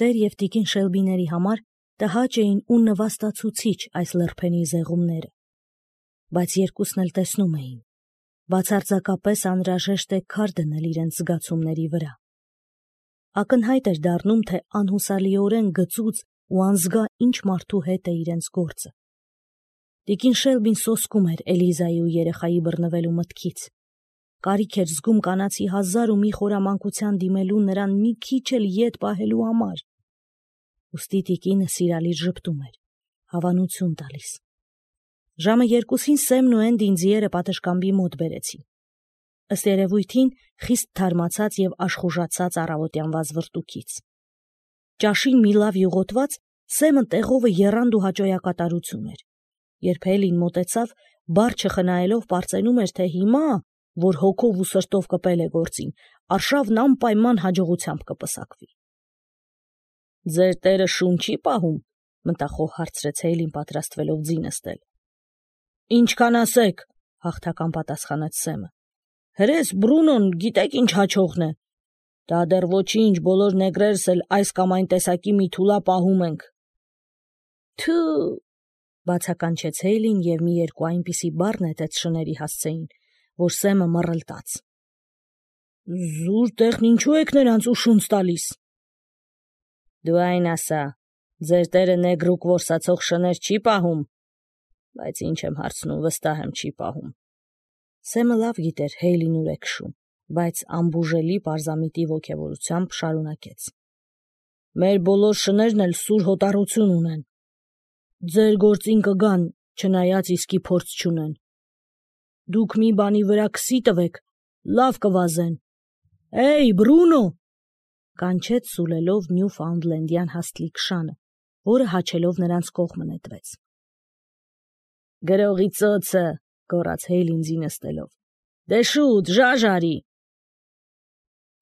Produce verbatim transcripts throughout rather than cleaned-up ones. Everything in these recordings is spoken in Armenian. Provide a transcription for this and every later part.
Տեր և տիկին Շելբիների համար տհաճ էին ու նվաստացուցիչ այս լրփենի զեղումները, բայց երկուսն էլ տեսնում էին, բացարձակապես անհրաժեշտ է քար դնել իրենց զգացումների վրա։ Ակնհայտ էր դառնում, թե անհուսալիորեն գծուծ ու անզգա ինչ մարդու հետ է իրենց գործը։ Տիկին Շելբին սոսկում էր Էլիզայի ու երեխայի բռնվելու մտքից։ Կարիք էր զգում կանացի հազար ու մի խորամանկության դիմելու նրան մի քիչ էլ ետ պահելու համար։ Ուստի տիկինը սիրալիր ժպտում էր, հավանություն տալիս։ Ժամը երկուսին Սեմն ու Էնդին ձիերը պատշգամբի մոտ բերեցին։ Ըստ երևույթին խիստ թարմացած և աշխուժացած առավոտյան վազվռտուքից։ Ճաշին մի լավ յուղոտված Սեմը տեղովը եռանդ ու հաճոյակատարություն էր։ Երբ Հելին մոտեցավ, բառ չխնայելով պարծենում էր, թե հիմա, որ հոգով ու սրտով կպել է գործին, արշավն անպայման հաջողությամբ կպսակվի։ Ձեր տերը շուն չի պահում, մտախոհ հարցրեց Հելին, պատրաստվելով ձի նստել։ Ինչքան ասեք, հաղթական պատասխանեց Սեմը։ Հրես Բրունոն գիտեք ինչ հաչողն է։ Դա դեռ ոչինչ, բոլոր նեգրերս էլ այս կամ այն տեսակի մի թուլա պահում ենք։ Թու, բացականչեց Հեյլին և մի երկու այնպիսի բառ նետեց շների հասցեին, որ Սեմը մռլտաց։ Զուր տեղն ինչու եք նրանց ուշունց տալիս։ Դու այն ասա, ձեր տերը նեգրուկ որսացող շներ չի պահում, բայց ինչ եմ հարցնում, վստահ եմ չի պահում։ Սեմը լավ գիտեր Հեյլին ուր է քշում, բայց անբուժելի պարզամիտի ոգևորությամբ շարունակեց։ Մեր բոլոր շներն էլ սուր հոտառություն ունեն։ Ձեր գործին կգան, չնայած իսկի փորձ չունեն։ Դուք մի բանի վրա քսի տվեք, լավ կվազեն։ Էյ, Բրունո, կանչեց սուլելով Նյուֆաունդլենդյան հաստլիկ շանը, որը հաչելով նրանց կողմը նետվեց։ Գրողի ծոցը, գոռաց Հեյլին ձի նստելով։ Դե շուտ, ժաժ արի։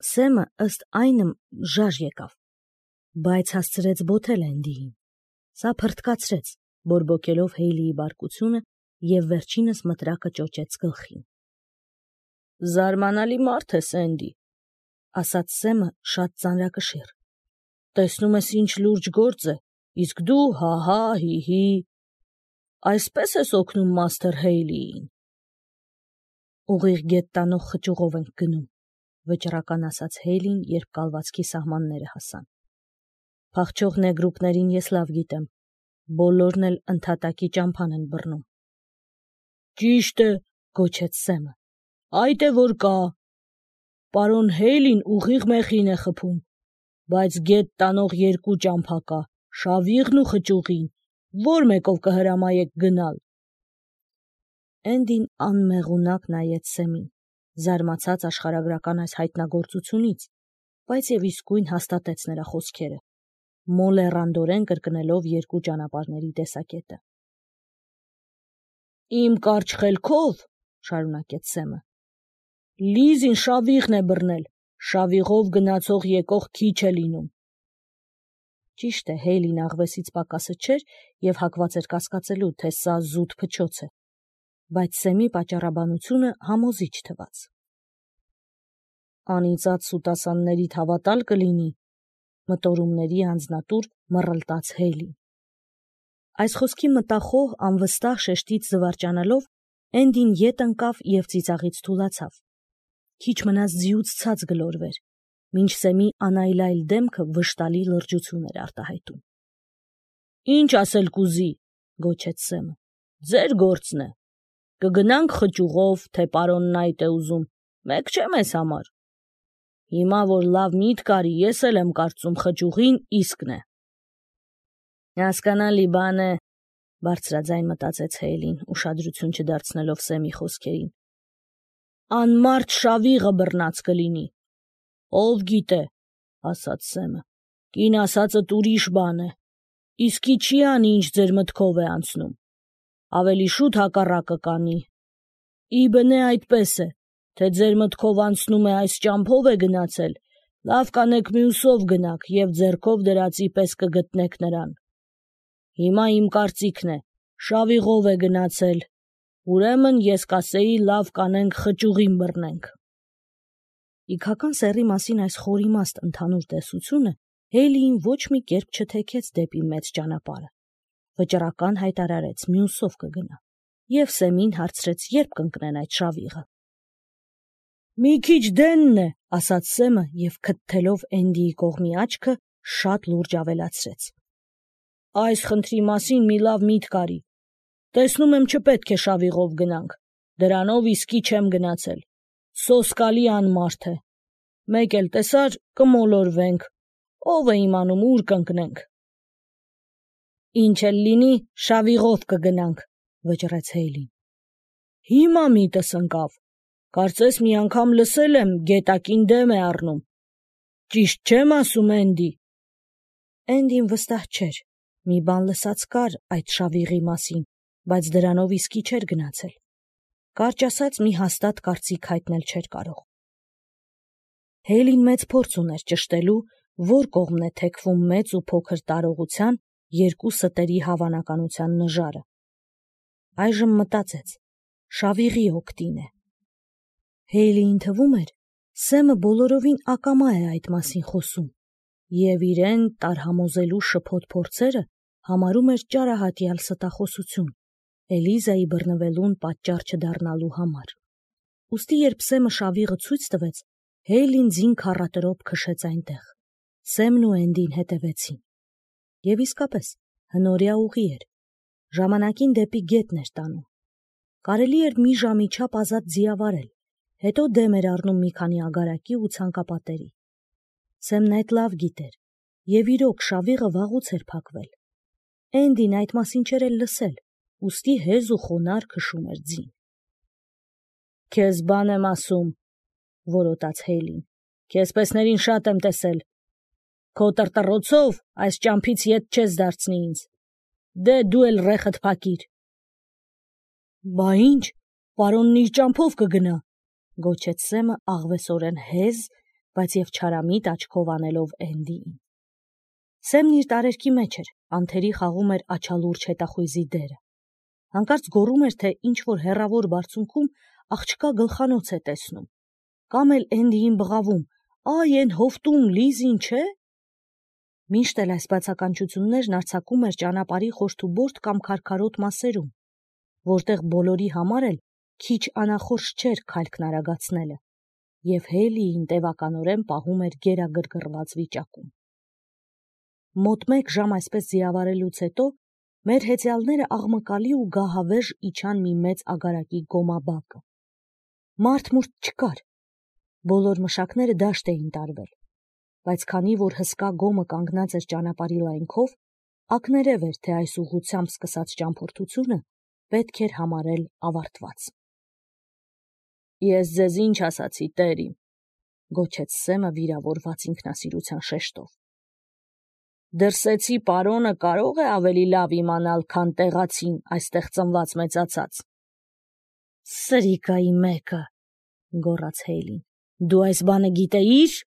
Սեմը ըստ այնմ ժաժ եկավ, բայց հասցրեց բոթել Էնդիին։ Սա փրթկացրեց, բորբոքելով Հեյլիի բարկությունը և վերջինս մտրակը ճոճեց գլխին։ Զարմանալի մարդ ես, Էնդի, ասաց Սեմը շատ ծանրակշիռ։ Տեսնում ես ինչ լուրջ գործ է, իսկ դու հա-հա, հի-հի։ Այսպես ես օգնում մաստեր Հեյլիին։ Ուղիղ գետ տանող խճուղով ենք գնում, վճռական ասաց Հեյլին, երբ կալվածքի սահմանները հասան։ Փախչող նեգրուկներին ես լավ գիտեմ, բոլորն էլ ընդհատակի ճամփան են բռնում։ Ճիշտ է, գոչեց Սեմը, այդ է որ կա։ Պարոն Հեյլին ուղիղ մեխին է խփում, բայց գետ տանող երկու ճամփա կա, շավիղն ու խճուղին, որ մեկով կհրամայեք գնալ։ Էնդին անմեղունակ նայեց Սեմին, զարմացած աշխարհագրական այս հայտնագործությունից, բայց և իսկույն հաստատեց նրա խոսքերը, մոլեռանդորեն կրկնելով երկու ճանապարհների տեսակետը։ Իմ կարճ խելքով, շարունակեց Սեմը, Լիզին շավիղն է բռնել, շավիղով գնացող եկող քիչ է լինում։ Ճիշտ է, Հեյլին աղվեսից պակասը չէր և հակված էր կասկածելու, թե սա զուտ փչոց է, բայց Սեմի պատճառաբանությունը համոզիչ թվաց։ Անիծած սուտասաններիդ հավատալ կլինի, մտորումների անձնատուր մռլտաց Հեյլին։ Այս խոսքի մտախոհ անվստահ շեշտից զվարճանալով Էնդին ետ ընկավ և ծիծաղից թուլացավ։ Քիչ մնաց ձիուց ցած գլորվեր, մինչ Սեմի անայլայլ դեմքը վշտալի լրջություն էր արտահայտում։ Ինչ ասել կուզի, գոչեց Սեմը, ձեր գործն է։ Կգնանք խճուղով, թե պարոնն այդ է ուզում, մեկ չէ մեզ համար։ Հիմա որ լավ միտք արի, ես էլ եմ կարծում խճուղին իսկն է։ Հասկանալի բան է, բարձրաձայն մտածեց Հեյլին, ուշադրություն չդարձնելով Սեմի խոսքերին։ Անմարդ շավիղը բռնած կլինի։ Ով գիտե, ասաց Սեմը, կին ասածդ ուրիշ բան է, իսկի չի անի, ինչ ձեր մտքով է անցնում, ավելի շուտ հակառակը կանի։ Ի բնե այդպես է, թե ձեր մտքով անցնում է այս ճամփով է գնացել, լավ կանեք մյուսով գնաք և ձեռքով դրածի պես կգտնեք նրան։ Հիմա իմ կարծիքն է, շավիղով է գնացել, ուրեմն ես կասեի լավ կանենք խճուղին բռնենք։ Իգական սեռի մասին այս խորիմաստ ընդհանուր տեսությունը Հեյլիին ոչ մի կերպ չթեքեց դեպի մեծ ճանապարհը։ Վճռական հայտարարեց մյուսով կգնա, եւ Սեմին հարցրեց, երբ կընկնեն այդ շավիղը։ «Մի քիչ դենն է», ասաց Սեմը եւ քթթելով Էնդիի կողմի աչքը շատ լուրջ ավելացրեց. «Այս խնդրի մասին մի լավ միտք արի։ Տեսնում եմ չպետք է շավիղով գնանք, դրանով իսկի չեմ գնացել, սոսկալի անմարդ է, մեկ էլ տեսար կմոլորվենք, ով է իմանում ուր կընկնենք»։ «Ինչ էլ լինի, շավիղով կգնանք», վճռեց Հեյլին։ «Հիմա միտս ընկավ, կարծես մի անգամ լսել եմ գետակին դեմ է առնում, ճիշտ չեմ ասում, Էնդի»։ Էնդին վստահ չէր, մի բան լսած կար այդ շավիղի մասին, բայց դրանով իսկի չէր գնացել։ Կարճ ասած, մի հաստատ կարծիք հայտնել չէր կարող։ Հեյլին մեծ փորձ ուներ ճշտելու, որ կողմն է թեքվում մեծ ու փոքր տարողության երկու ստերի հավանականության նժարը։ Այժմ մտածեց, շավիղի օգտին է։ Հեյլիին թվում էր, Սեմը բոլորովին ակամա է այդ մասին խոսում, եւ իրեն տարհամոզելու շփոթ փորձերը համարում էր ճարահատյալ ստախոսություն, Էլիզայի բռնվելուն պատճառ չդառնալու համար։ Ուստի երբ Սեմը շավիղը ցույց տվեց, Հեյլին ձին քառատրոփ քշեց այնտեղ։ Սեմն ու Էնդին հետևեցին։ Եվ իսկապես, հնորյա ուղի էր։ Ժամանակին դեպի գետն էր տանում։ Կարելի էր մի ժամի չափ ազատ ձիավարել, հետո դեմ էր առնում մի քանի ագարակի ու ցանկապատերի։ Սեմն այդ լավ գիտեր, եւ իրոք շավիղը վաղուց էր փակվել։ Էնդին այդ մասին չէր էլ լսել, ուստի հեզ ու խոնար քշում էր ձին։ «Քեզ բան եմ ասում», որոտաց Հեյլին, «քեզպեսներին շատ եմ տեսել։ Քո տրտրոցով այս ճամփից ետ չես դարձնի ինձ։ Դե դու էլ ռեխդ փակիր»։ «Բա ինչ, պարոնն իր ճամփով կգնա», գոչեց Սեմը աղվեսորեն հեզ, բայց եւ չարամիտ աչքով անելով Էնդիին։ Սեմն իր տարերքի մեջ էր, անթերի խաղում էր աչալուրջ հետախույզի դերը։ Հանկարծ գոռում էր, թե ինչ-որ հեռավոր բարձունքում աղջկա գլխանոց է տեսնում, կամ էլ Էնդիին բղավում. «Այ էն հովտում Լիզին չէ»։ Միշտ էլ այս բացականչություններն արձակում էր ճանապարհի խորթուբորդ կամ քարքարոտ մասերում, որտեղ բոլորի համար էլ քիչ անախորժ չէր քայլքն արագացնելը, եւ Հեյլիին տևականորեն պահում էր գերագրգռված վիճակում։ Մոտ մեկ ժամ այսպես ձիավարելուց հետո մեր հեծյալները աղմկալի ու գահավեժ իջան մի մեծ ագարակի գոմաբակը։ Մարդ-մուրդ չկար, բոլոր մշակները դաշտ էին տարվել, բայց քանի որ հսկա գոմը կանգնած էր ճանապարհի լայնքով, ակներև էր, թե այս ուղղությամբ սկսած ճամփորդությունը պետք էր համարել ավարտված։ «Ես ձեզ ինչ ասացի, տերիմ», գոչեց Սեմը վիրավորված ինքնասիրության շեշտով։ «Դրսեցի պարոնը կարող է ավելի լավ իմանալ, քան տեղացին այստեղ ծնված մեծացած»։ «Սրիկայի մեկը», գոռաց Հեյլին, «դու այս բանը գիտեիր»։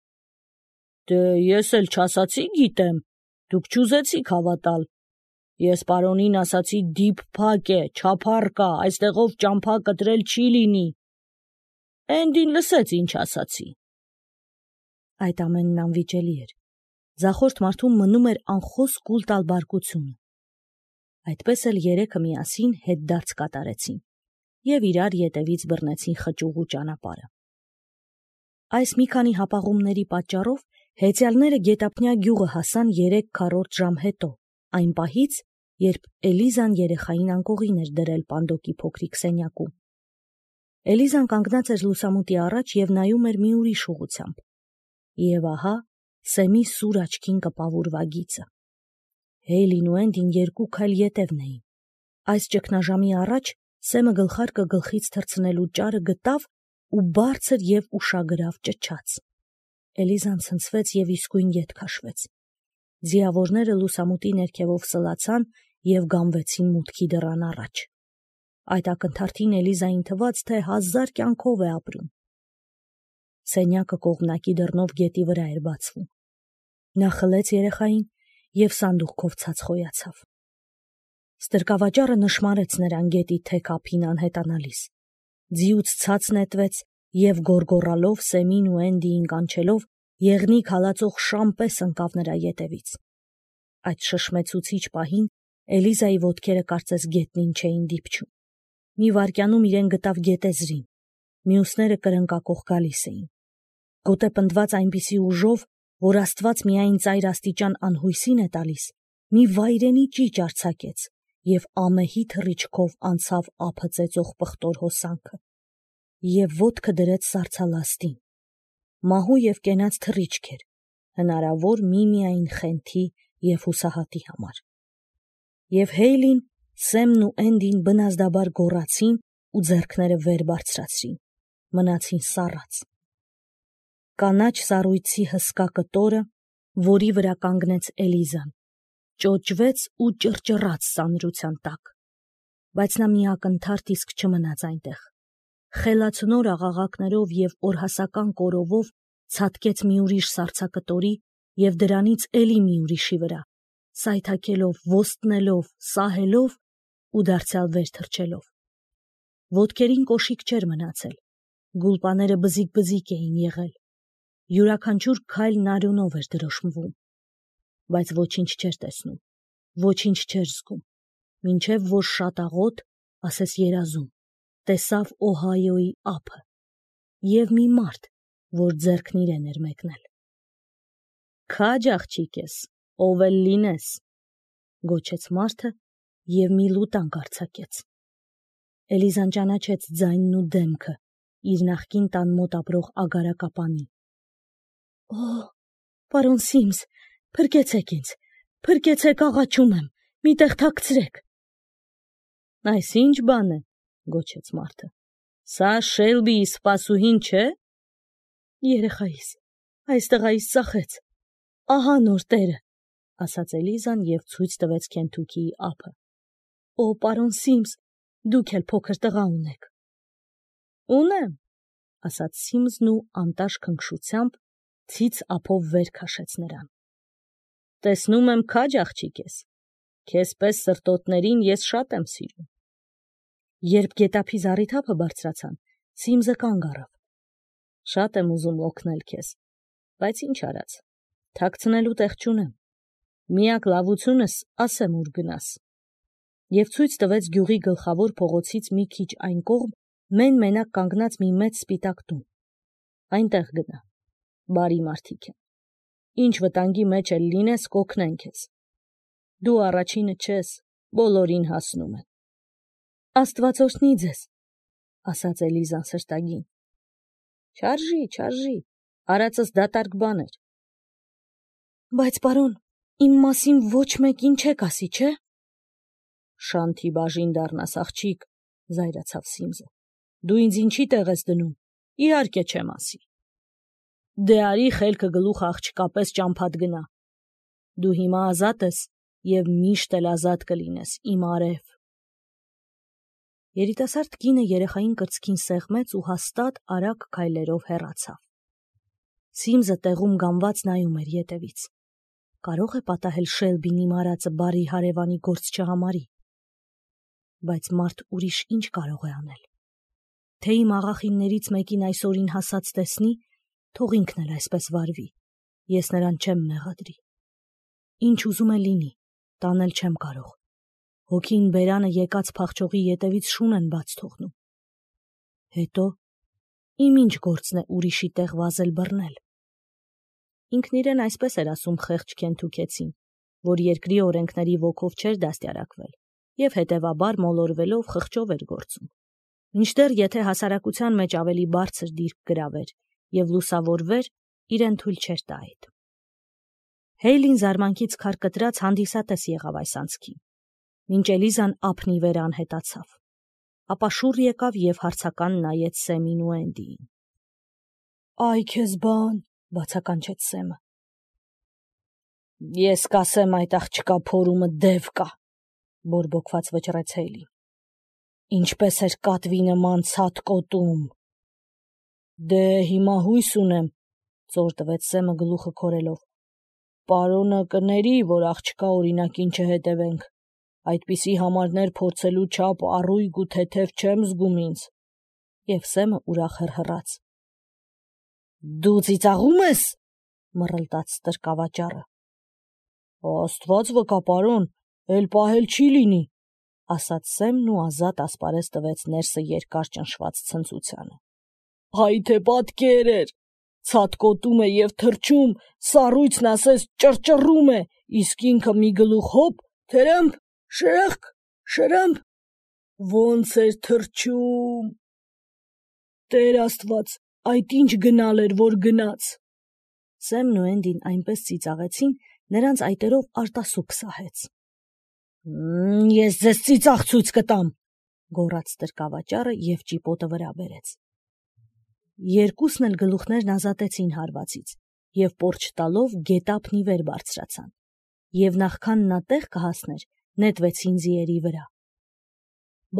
«Դե ես էլ չասացի գիտեմ, դուք չուզեցիք հավատալ։ Ես պարոնին ասացի դիփ փակ է, չափառ կա, այստեղով ճամփա կտրել չի լինի։ Էնդին լսեց ինչ ասացի»։ Այդ ամենն անվիճելի էր։ Ձախորդ մարդում մնում էր անխոս կուլ տալ բարկությունը։ Այդպես էլ երեքը միասին հետդարձ կատարեցին եւ իրար ետևից բռնեցին խճուղու ճանապարհը։ Այս մի քանի հապաղումների պատճառով հեծյալները գետափնյա գյուղը հասան երեք քառորդ ժամ հետո, այն պահից, երբ Էլիզան երեխային անկողին էր դրել Պանդոկի փոքրիկ սենյակում։ Էլիզան կանգնած էր լուսամուտի առաջ եւ նայում էր մի ուրիշ ուղղությամբ։ Եվ ահա Սեմի սուր աչքին կպավուրվագիծը։ Հեյլին ու Էնդին երկու քայլ ետևն էին։ Այս ճգնաժամի առաջ Սեմը գլխարկը գլխից թռցնելու ճարը գտավ ու բարձր եւ ուշագրավ ճչաց։ Էլիզան ցնցվեց եւ իսկույն ետ քաշվեց։ Ձիավորները լուսամուտի ներքևով սլացան եւ գամվեցին մուտքի դռան առաջ։ Այդ ակնթարթին Էլիզային թվաց, թե հազար կյանքով է ապրում։ Սենյակը կողմնակի դռնով գետի վրա էր բացվում։ Նա խլեց երեխային եւ սանդուղքով ցած խոյացավ։ Ստրկավաճառը նշմարեց նրան գետի թեք ափին անհետանալիս։ Ձիուց ցած նետվեց եւ գոռգոռալով Սեմին ու Էնդիին կանչելով եղնիկ հալածող շամ պես ընկավ նրա ետևից։ Այդ շշմեցուցիչ պահին Էլիզայի ոտքերը կարծես գետնին չէին դիպչում։ Մի վայրկյանում իրեն գտավ գետեզրին, մյուսները կրնկակող գալիս էին։ Գոտե պնդված այնպիսի ուժով, որ Աստված միայն ծայր աստիճան անհույսին է տալիս, մի վայրենի ճիճ արձակեց և ամեհի թռիչքով անցավ ափը ծեծող պղտոր հոսանքը և ոտքը դրեց սառցալաստին։ Մահու և կենաց թռիչք էր, հնարավոր միմիայն խենթի և հուսահատի համար։ Եվ Հեյլին, Սեմն ու Էնդին բնազդաբար գոռացին ու ձեռքները վեր բարձրացրին, մնացին սառած։ Կանաչ սառույցի հսկա կտորը, որի վրա կանգնեց Էլիզան, ճոճվեց ու ճռճռաց սանրության տակ, բայց նա մի ակնթարթ իսկ չմնաց այնտեղ։ Խելացնոր աղաղակներով և օրհասական կորովով ցատկեց մի ուրիշ սառցակտորի և դրանից էլի մի ուրիշի վրա, սայթաքելով, ոստնելով, սահելով ու դարձյալ վեր թռչելով։ Ոտքերին կոշիկ չէր մնացել, գուլպաները բզիկ-բզիկ էին եղել, յուրաքանչյուր քայլն արյունով էր դրոշմվում, բայց ոչինչ չէր տեսնում, ոչինչ չէր զգում, մինչև որ շատ աղոտ, ասես երազում, տեսավ Օհայոյի ափը և մի մարդ, որ ձեռքն իրեն էր մեկնել։ «Քաջ աղջիկ ես, ով էլ լինես», գոչեց մարդը և մի լուտանք արձակեց։ Էլիզան ճանաչեց ձայնն ու դեմքը իր նախկին տան մոտ ապրող ագարակապանի։ «Օ, պարոն Սիմս, փրկեցեք ինձ, փրկեցեք, աղաչում եմ, մի տեղ թաքցրեք»։ «Այս ինչ բան է», գոչեց մարդը, «սա Շելբիի սպասուհին չէ՞»։ «Երեխայիս, այս տղայիս ծախեց, ահա նոր տերը», ասաց Էլիզան և ցույց տվեց Քենթուքիի ափը։ «Օ, պարոն Սիմս, դուք էլ փոքր տղա ունեք»։ «Ունեմ», ասաց Սիմսն ու անտաշ քնքշությամբ ցից ափով վեր քաշեց նրան։ «Տեսնում եմ քաջ աղջիկ ես, քեզ պես սրտոտներին ես շատ եմ սիրում»։ Երբ գետափի զառիթափը բարձրացան, Սիմսը կանգ առավ։ «Շատ եմ ուզում օգնել քեզ, բայց ինչ արած, թաքցնելու տեղ չունեմ, միակ լավությունս ասեմ ուր գնաս»։ Եվ ցույց տվեց գյուղի գլխավոր փողոցից մի քիչ այն կողմ մեն-մենակ կանգնած մի մեծ սպիտակ տուն։ «Այնտեղ գնա, բարի մարդիկ են, ինչ վտանգի մեջ էլ լինես, կօգնեն քեզ, դու առաջինը չես, բոլորին հասնում են»։ «Աստված օրհնի ձեզ», ասաց Էլիզան սրտագին։ «Չարժի, չարժի, արածս դատարկ բան էր»։ «Բայց պարոն, իմ մասին ոչ մեկին չեք ասի, չէ՞։ «Շանթի բաժին դառնաս, աղջիկ», զայրացավ Սիմսը։ «Դու ինձ ինչի տեղ ես դնում, իհարկե չեմ ասի»։ «Դե արի խելքը գլուխ աղջկա պես ճամփադ գնա։ Դու հիմա ազատ ես և միշտ էլ ազատ կլինես, իմ արև»։ Երիտասարդ կինը երեխային կրծքին սեղմեց ու հաստատ արագ քայլերով հեռացավ։ Սիմսը տեղում գամված նայում էր ետևից։ Կարո՞ղ է պատահել Շելբին իմ արածը բարի հարևանի գործ չհամարի։ Բայց մարդ ուրիշ ինչ կարող է անել։ Թե իմ աղախիններից մեկին այսօրին հասած տեսնի, թող ինքն էլ այսպես վարվի, ես նրան չեմ մեղադրի։ Ինչ ուզում է լինի, տանել չեմ կարող։ Հոգին բերանը եկած փախչողի ետևից շուն են բաց թողնում։ Հետո իմ ինչ գործն է ուրիշի տեղ վազել բռնել։ Ինքն իրեն այսպես էր ասում խեղճ Քենթուքեցին, որ երկրի օրենքների ոգով չէր դաստիարակվել և հետևաբար մոլորվելով խղճով էր գործում, մինչդեռ եթե հասարակության մեջ ավելի բարձր դիրք գրավեր և լուսավորվեր, իրեն թույլ չէր տա այդ։ Հեյլին զարմանքից քարկտրած հանդիսատես եղավ այս անցքին, մինչ Էլիզան ափն ի վեր անհետացավ, ապա շուռ եկավ և հարցական նայեց Սեմին ու Էնդիին։ «Այ քեզ բան», բացականչեց Սեմը։ «Ես կասեմ այդ աղջկա փորումը դև կա», բորբոքված վճռեց Հեյլին։ «Ինչպես էր կատվի նման ցատկոտում»։ «Դե հիմա հույս ունեմ», ծոր տվեց Սեմը գլուխը քորելով։ «Պարոնը կների, որ աղջկա օրինակին չհետևենք, այդպիսի համարներ փորձելու չափ առույգ ու թեթև չեմ զգում ինձ»։ Եվ Սեմը ուրախ հռհռաց։ «Դու ծիծաղում ես, մռլտաց ստրկավաճառը։ Աստված վկա, պարոն, էլ պահել չի լինի, ասաց Սեմն ու ազատ ասպարեզ տվեց ներսը երկար ճնշված ցնծությանը։ Հայ թե պատկեր էր, ցատկոտում է եւ թրջում, սառույցն ասես ճռճռում է, իսկ ինքը մի գլուխ հոп, թրմփ, շրխկ, շրմփ, ոնց էր թրջում։ Տեր Աստված, այդ ինչ գնալ էր, որ գնաց։ Սեմն ու Էնդին այնպես ծիծաղեցին, նրանց այտերով արտասուք սահեց։ Ես ձեզ ծիծաղ ցույց կտամ, գոռաց ստրկավաճառը եւ ճիպոտը վրա բերեց։ Երկուսն էլ գլուխներն ազատեցին հարվածից եւ պորչ տալով գետափն ի վեր բարձրացան, եւ նախքան նա տեղ կհասներ, նետվեցին ձիերի վրա։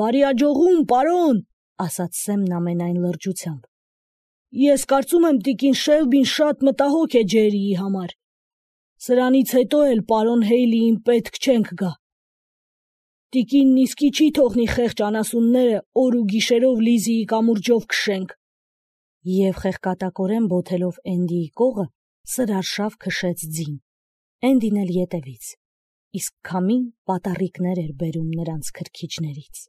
Բարի աջողում, պարոն, ասաց Սեմն ամենայն լրջությամբ։ Ես կարծում եմ տիկին Շելբին շատ մտահոգ է Ջերիի համար։ Սրանից հետո էլ պարոն Հեյլիին պետք չենք գա։ Տիկինն իսկի չի թողնի խեղճ անասունները օր ու գիշերով Լիզիի կամուրջով քշենք։ Եվ խեղկատակորեն բոթելով Էնդիի կողը, սրարշավ քշեց ձին, Էնդին էլ ետևից, իսկ քամին պատառիկներ էր բերում նրանց քրքիջներից։